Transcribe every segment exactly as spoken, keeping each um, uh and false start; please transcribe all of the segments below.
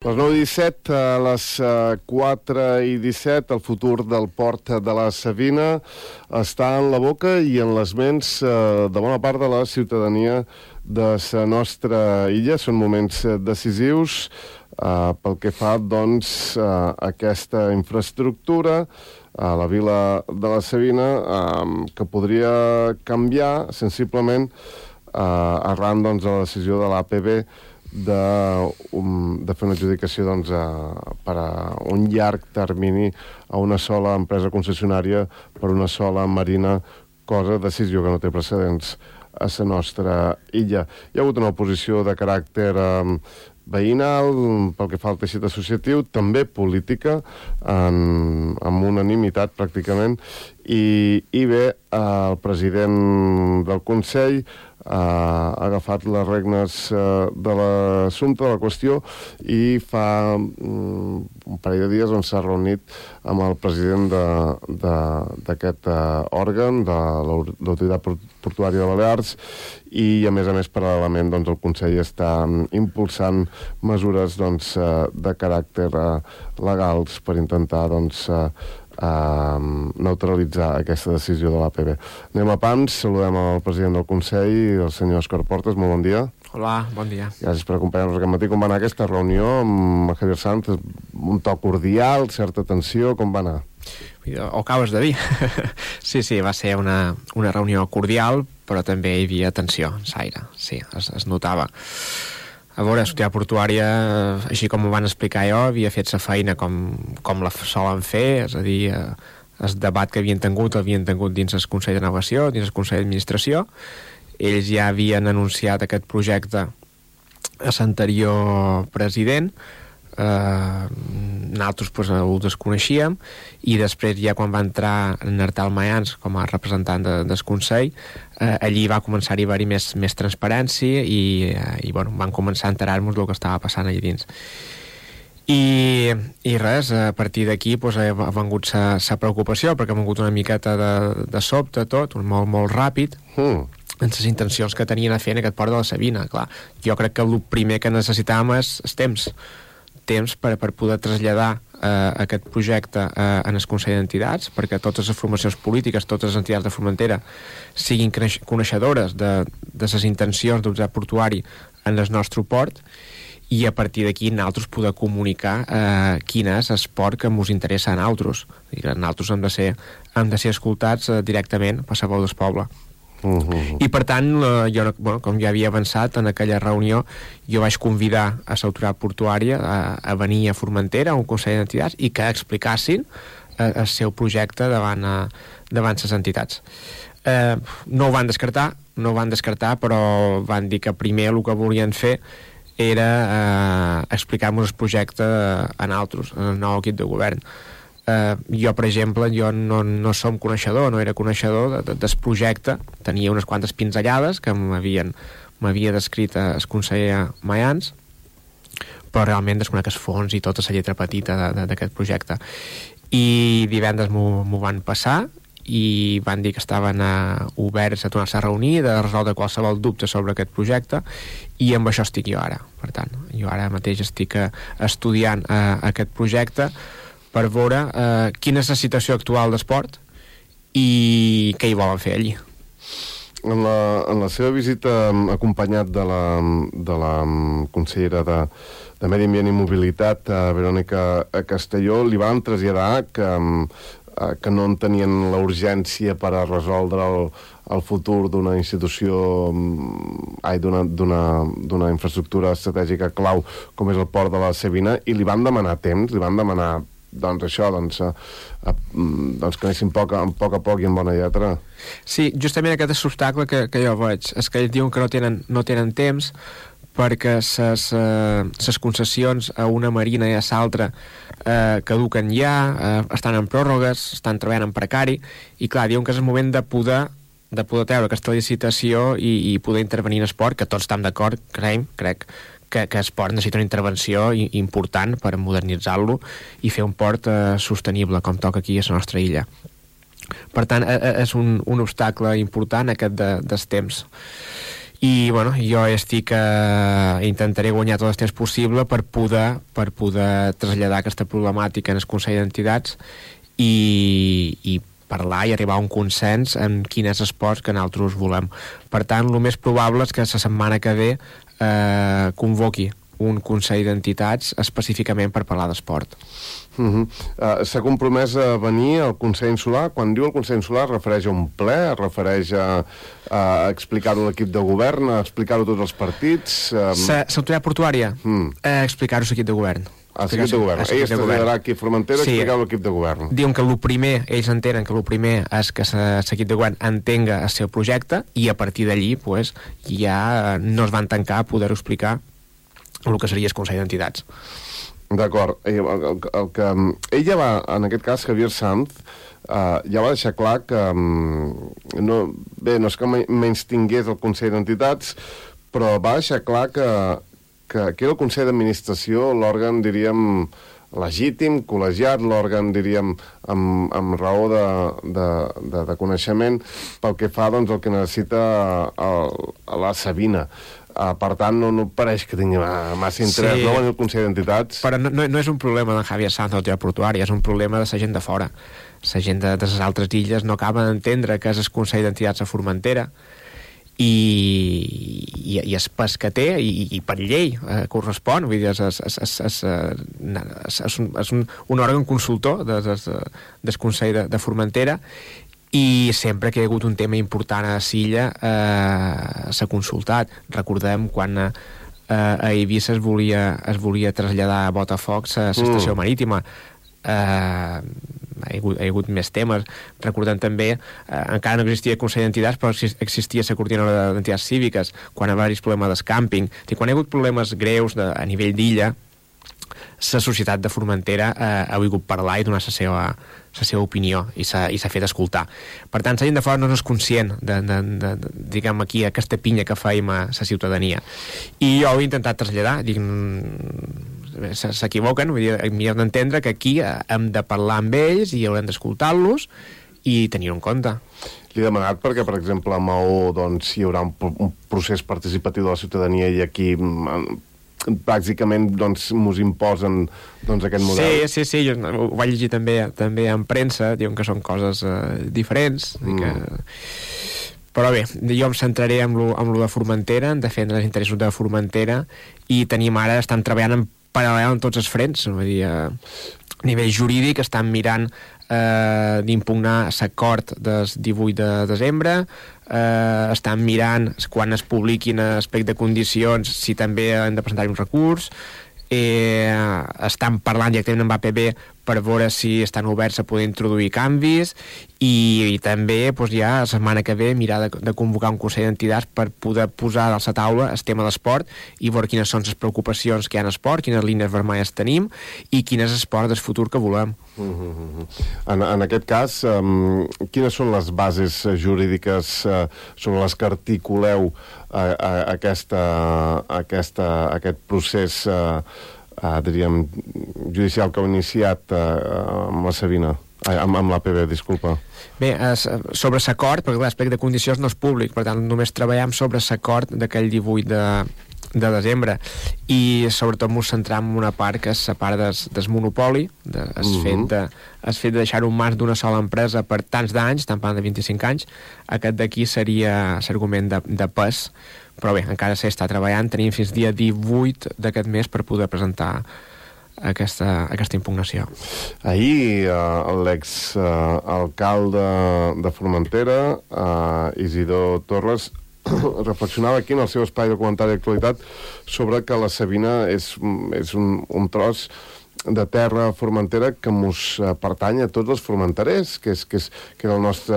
Les nou i disset, a les quatre i disset, el futur del port de la Savina està en la boca i en les ments de bona part de la ciutadania de la nostra illa. Són moments decisius eh, pel que fa, doncs, a aquesta infraestructura a la vila de la Savina eh, que podria canviar sensiblement eh, arran, doncs, de la decisió de l'A P B De, um, de fer una adjudicació, doncs, a, per a un llarg termini a una sola empresa concessionària per una sola marina, cosa, decisió que no té precedents a la nostra illa. Hi ha hagut una oposició de caràcter um, veïnal, pel que fa al teixit associatiu, també política, en, amb unanimitat pràcticament, i, i bé, el president del Consell ha agafat les regnes de l'assumpte, de la qüestió, i fa um, un parell de dies on s'ha reunit amb el president d'aquest uh, òrgan, de l'Autoritat Portuària de Balears, i a més a més, paral·lelament, doncs, el Consell està um, impulsant mesures, doncs, uh, de caràcter uh, legals per intentar, doncs, uh, a neutralitzar aquesta decisió de l'A P B. Anem a pams, saludem el president del Consell, el senyor Òscar Portes, molt bon dia. Hola, bon dia. Gràcies per acompanyar-nos aquest matí. Com va anar aquesta reunió amb Javier Sanz? Un to cordial, certa tensió, com va anar? Ho acabes de dir. Sí, sí, va ser una, una reunió cordial, però també hi havia tensió, s'aire, sí, es, es notava. A veure, l'Autoritat Portuària, així com ho van explicar jo, havia fet la feina com, com la solen fer, és a dir, el debat que havien tingut, l'havien tingut dins el Consell de Navegació, dins el Consell d'Administració. Ells ja havien anunciat aquest projecte a l'anterior president, eh, nosaltres pues, ho desconeixíem, i després ja quan va entrar en Artal Mayans com a representant de, del Consell, eh, allí va començar a haver-hi més, més transparència i, eh, i bueno, van començar a enterar-nos del que estava passant allà dins. I, i res, a partir d'aquí pues, ha vengut la preocupació, perquè ha vengut una miqueta de, de sobte tot, molt, molt ràpid, mm. en les intencions que tenien a fer en aquest port de la Savina. Clar, jo crec que el primer que necessitàvem és el temps, temps per, per poder traslladar eh, aquest projecte eh, en el Consell d'Entitats, perquè totes les formacions polítiques, totes les entitats de Formentera siguin coneixedores de, de les intencions del Autoritat Portuari en el nostre port, i a partir d'aquí nosaltres poder comunicar eh, quin és el port que ens interessa a nosaltres. Nosaltres hem de ser, hem de ser escoltats eh, directament per la veu del poble. Uh -huh. I per tant, eh, jo, bueno, com ja havia avançat en aquella reunió, jo vaig convidar a l'Autoritat Portuària a, a venir a Formentera, a un Consell d'Entitats, i que explicassin eh, el seu projecte davant, eh, davant les entitats. Eh, no ho van descartar, no ho van descartar, però van dir que primer el que volien fer era eh, explicar-nos el projecte a nosaltres, al nou equip de govern. Uh, jo, per exemple, jo no, no som coneixedor, no era coneixedor de, de, del projecte, tenia unes quantes pinzellades que m'havia descrit el conseller Mayans, però realment desconec els fons i tota la lletra petita d'aquest projecte. I divendres m'ho van passar i van dir que estaven uh, oberts a tornar-se a reunir, de resoldre qualsevol dubte sobre aquest projecte, i amb això estic jo ara. Per tant, jo ara mateix estic uh, estudiant uh, aquest projecte per veure eh, quina és la situació actual d'esport i què hi volen fer allí. En la, en la seva visita acompanyat de la, de la consellera de, de Medi Ambient i Mobilitat, a Verònica Castelló, li van traslladar que, que no en tenien la urgència per a resoldre el, el futur d'una institució, ai, d'una, d'una, d'una infraestructura estratègica clau com és el port de la Savina, i li van demanar temps, li van demanar doncs això, doncs, a, a, doncs que anessin poc a, poc a poc i en bona lletra. Sí, justament aquest és l'obstacle que, que jo veig, és que ells diuen que no tenen, no tenen temps perquè ses, eh, ses concessions a una marina i a l'altra eh, caduquen ja, eh, estan en pròrrogues, estan treballant en precari, i clar, diuen que és el moment de poder de poder treure aquesta licitació i, i poder intervenir en esport, que tots estem d'acord, creiem, crec, que, que el port necessita una intervenció important per modernitzar-lo i fer un port eh, sostenible, com toca aquí a la nostra illa. Per tant, eh, és un, un obstacle important aquest de, dels temps. i bueno, jo estic eh, intentaré guanyar tot el temps possible per poder, per poder traslladar aquesta problemàtica en el Consell d'Entitats i, i parlar i arribar a un consens en quin és l'esport que nosaltres volem. Per tant, el més probable és que la setmana que ve eh, convoqui un Consell d'Entitats específicament per parlar d'esport. Uh -huh. uh, S'ha compromès a venir al Consell Insular. Quan diu el Consell Insular, es refereix a un ple, es refereix a, a explicar-ho a l'equip de govern, a explicar-ho a tots els partits... Um... L'autoritat portuària, mm. eh, explicar-ho a l'equip de govern. A l'equip de govern. Ell es traslladarà aquí a Formentera, sí, explicar-ho a l'equip de govern. Diuen que el primer, ells entenen que el primer és que l'equip de govern entenga el seu projecte i a partir d'allí pues, ja no es van tancar a poder-ho explicar el que seria el Consell d'Entitats. D'acord. El, el, el que, ell ja va, en aquest cas, Javier Sanz, uh, ja va deixar clar que um, no, bé, no és que menys tingués el Consell d'Entitats, però va deixar clar que, que, que era el Consell d'Administració l'òrgan, diríem, legítim, col·legiat, l'òrgan, diríem, amb, amb raó de, de, de, de coneixement pel que fa, doncs, el que necessita el, la Sabina. Uh, per tant, no, no pareix que tingui massa interès, sí, no, en el Consell d'Entitats. Però no, no, no és un problema de Javier Sanz o de la portuària, és un problema de la gent de fora. La gent de, de les altres illes no acaba d'entendre que és el Consell d'Entitats a Formentera i, i, i és pas que té i, i per llei eh, correspon, vull dir, és, és, és, és, és, un, és un, un òrgan consultor des, des, del Consell de, de Formentera i sempre que hi ha hagut un tema important a l'illa eh, s'ha consultat. Recordem quan eh, a Eivissa es volia, es volia traslladar a Botafocs a l'estació mm. marítima. Eh, ha, hi hagut, hi ha hagut més temes. Recordem també, eh, encara no existia el Consell d'Entitats, però existia la coordinadora d'entitats cíviques quan va haver problemes del càmping. Quan hi ha hagut problemes greus de, a nivell d'illa, la societat de Formentera eh, ha volgut parlar i donar la seva, la seva opinió i s'ha fet escoltar. Per tant, la gent de fora no és conscient de, de, de, de diguem aquí, aquesta pinya que fèiem a la ciutadania. I jo ho he intentat traslladar, dic, s'equivoquen, vull dir, millor d'entendre que aquí hem de parlar amb ells i haurem d'escoltar-los i tenir-ho en compte. Li he demanat perquè, per exemple, a Maó doncs, hi haurà un, un procés participatiu de la ciutadania i aquí bàsicament doncs mos imposen doncs aquest model. Sí, sí, sí, jo ho vaig llegir també, també en premsa, diuen que són coses eh, diferents mm. i que... però bé, jo em centraré en lo, en lo de Formentera, en defendre els interessos de Formentera i tenim ara, estan treballant en paral·lel en tots els frents, vull dir, a nivell jurídic estan mirant eh, d'impugnar l'acord del divuit de desembre, eh, estan mirant quan es publiquin aspecte de condicions si també han de presentar un recurs, eh, estan parlant directament amb A P B per veure si estan oberts a poder introduir canvis i, i també doncs, ja la setmana que ve mirar de, de convocar un Consell d'Entitats per poder posar a la taula el tema de l'esport i veure quines són les preocupacions que hi ha en esport, quines línies vermelles tenim i quin és l'esport del futur que volem. Mm-hmm. en, en aquest cas, um, quines són les bases jurídiques uh, sobre les que articuleu uh, uh, aquesta, aquesta, aquest procés uh, uh, diríem, judicial que heu iniciat uh, amb la Sabina? Amb, amb l'A P B, disculpa. Bé, es, sobre l'acord, perquè l'aspecte de condicions no és públic, per tant només treballem sobre l'acord d'aquell divuit de, de desembre i sobretot ens centram en una part que és la part des, des monopoli, de, es, uh -huh. fet de, es fet de deixar-ho en mans d'una sola empresa per tants d'anys, estan parlant de vint-i-cinc anys, aquest d'aquí seria l'argument de, de pes, però bé, encara s'està treballant, tenim fins dia divuit d'aquest mes per poder presentar Aquesta, aquesta impugnació. Ahir eh, l'exalcalde eh, de Formentera, eh, Isidor Torres, reflexionava aquí en el seu espai de comentari d'actualitat sobre que la Sabina és, és un, un tros de terra formentera que mos pertany a tots els formenterers, que és, que és que és el nostre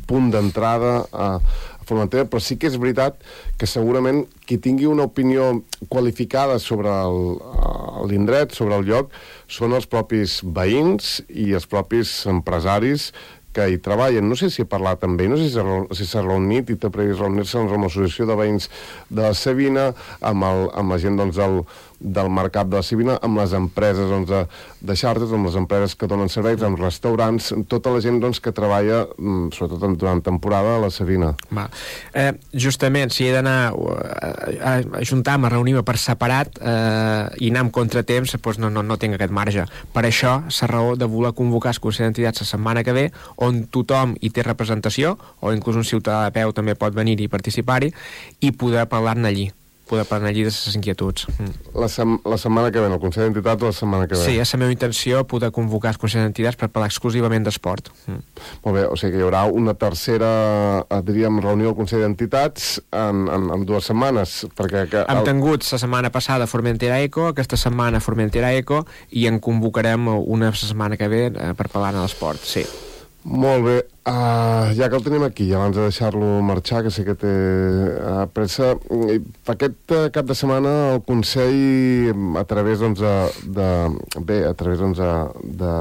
punt d'entrada a Formentera, però sí que és veritat que segurament qui tingui una opinió qualificada sobre l'indret, sobre el lloc, són els propis veïns i els propis empresaris que hi treballen. No sé si he parlat amb ell, no sé si s'ha reunit i té previst reunir-se amb l'associació de veïns de la Sabina, amb, el, amb la gent doncs, del, del mercat de la Savina, amb les empreses doncs, de, de xartres, amb les empreses que donen serveis, amb restaurants, tota la gent doncs, que treballa, sobretot durant temporada, a la Savina. Va. Eh, justament, si he d'anar a, a ajuntar-me, a reunir-me per separat eh, i anar amb contratemps, doncs no, no, no tinc aquest marge. Per això, la raó de voler convocar el Consell d'Entitats la setmana que ve, on tothom hi té representació, o inclús un ciutadà de peu també pot venir i participar-hi, i poder parlar-ne allí poder parlar allí de les inquietuds. Mm. La, sem la setmana que ve, el Consell d'Entitats la setmana que ve? Sí, és la meva intenció poder convocar el Consell d'Entitats per parlar exclusivament d'esport. Mm. Molt bé, o sigui que hi haurà una tercera, diríem, reunió del Consell d'Entitats en, en, en dues setmanes, perquè... Que Hem el... tingut la setmana passada Formentera Eco, aquesta setmana Formentera Eco, i en convocarem una setmana que ve eh, per parlar de l'esport, sí. Molt bé, uh, ja que el tenim aquí, abans de deixar-lo marxar, que sé que té uh, pressa, aquest uh, cap de setmana el Consell, a través doncs, de, de, bé, a través doncs, de,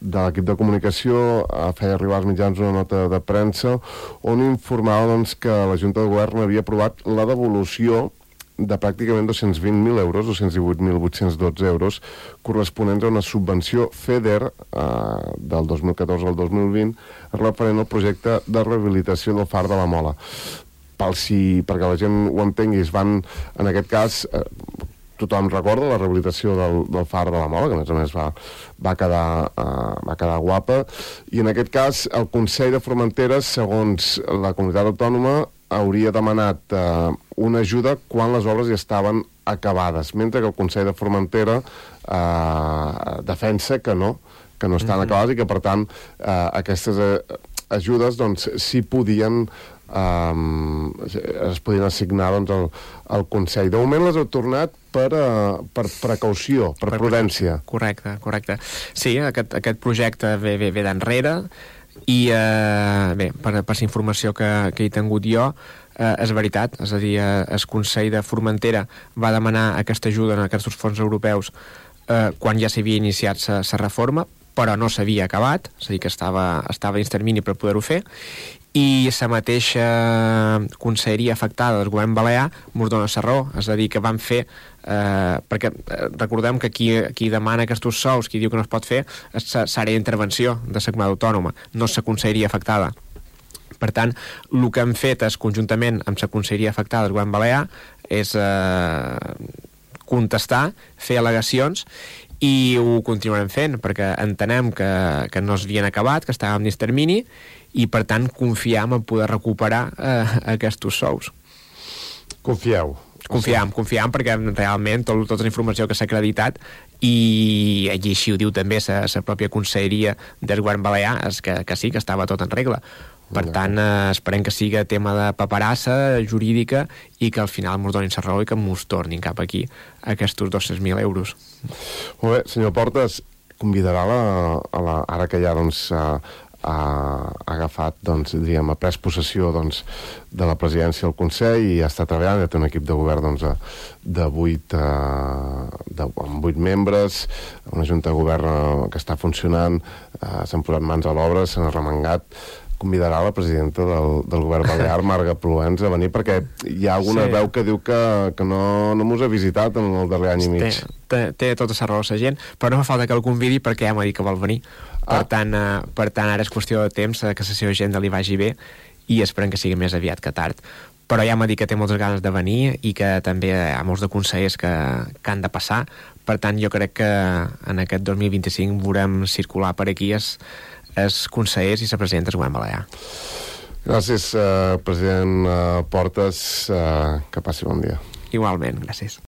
de l'equip de comunicació, uh, feia arribar als mitjans una nota de premsa on informava doncs, que la Junta de Govern havia aprovat la devolució de pràcticament dos-cents vint mil euros, dos-cents divuit mil vuit-cents dotze euros, corresponents a una subvenció FEDER eh, del dos mil catorze al dos mil vint, referent al projecte de rehabilitació del Far de la Mola. Pel si, perquè la gent ho entengui, es van, en aquest cas, eh, tothom recorda la rehabilitació del, del Far de la Mola, que a més a més va, va, quedar, eh, va quedar guapa, i en aquest cas el Consell de Formentera, segons la comunitat autònoma, hauria demanat eh, una ajuda quan les obres ja estaven acabades, mentre que el Consell de Formentera eh, defensa que no, que no estan mm-hmm. acabades i que, per tant, eh, aquestes eh, ajudes doncs, sí podien Um, es podien assignar doncs, al, al Consell. De moment les heu tornat per, uh, per precaució, per, per prudència. Correcte, correcte. Sí, aquest, aquest projecte ve, ve, ve d'enrere i uh, bé, per, per la informació que, que he tingut jo, uh, és veritat, és a dir, uh, el Consell de Formentera va demanar aquesta ajuda en aquests fons europeus uh, quan ja s'havia iniciat la reforma, però no s'havia acabat, és a dir, que estava, estava dins termini per poder-ho fer, i la mateixa conselleria afectada del govern balear mos dona la raó, és a dir, que van fer eh, perquè eh, recordem que qui, qui demana aquests sous, qui diu que no es pot fer, és l'àrea d'intervenció de la comunitat autònoma, no la conselleria afectada. Per tant, el que hem fet és, conjuntament amb la conselleria afectada del govern balear, és eh, contestar, fer al·legacions, i ho continuarem fent, perquè entenem que, que no s'havien acabat, que estàvem dins termini, i per tant confiam en poder recuperar eh, aquests sous. Confieu. Confiam, confiam perquè realment tot, tota la informació que s'ha acreditat i, i així ho diu també la pròpia conselleria del govern balear, és que, que sí, que estava tot en regla. Per tant, eh, esperem que siga tema de paperassa jurídica i que al final ens donin la raó i que ens tornin cap aquí aquests dos-cents mil euros. Molt bé, senyor Portes, convidarà la, a la, ara que ja doncs, ha, ha agafat, doncs, diríem, ha pres possessió doncs, de la presidència del Consell i ja està treballant, ja té un equip de govern doncs, de vuit, eh, de, amb vuit membres, una junta de govern eh, que està funcionant, eh, s'han posat mans a l'obra, s'han arremangat. Convidarà la presidenta del, del govern balear, Marga Proens, a venir, perquè hi ha alguna sí. veu que diu que, que no, no mos ha visitat en el darrer any i mig. Té, té, té tota la raó la gent, però no fa falta que el convidi perquè ja m'ha dit que vol venir. Per, ah. tant, eh, per tant, ara és qüestió de temps eh, que la seva agenda li vagi bé i esperem que sigui més aviat que tard. Però ja m'ha dit que té moltes ganes de venir i que també hi ha molts de consellers que, que han de passar. Per tant, jo crec que en aquest dos mil vint-i-cinc veurem circular per aquí els, els consellers i la presidenta del govern balear. Gràcies, eh, president eh, Portes. Eh, que passi bon dia. Igualment, gràcies.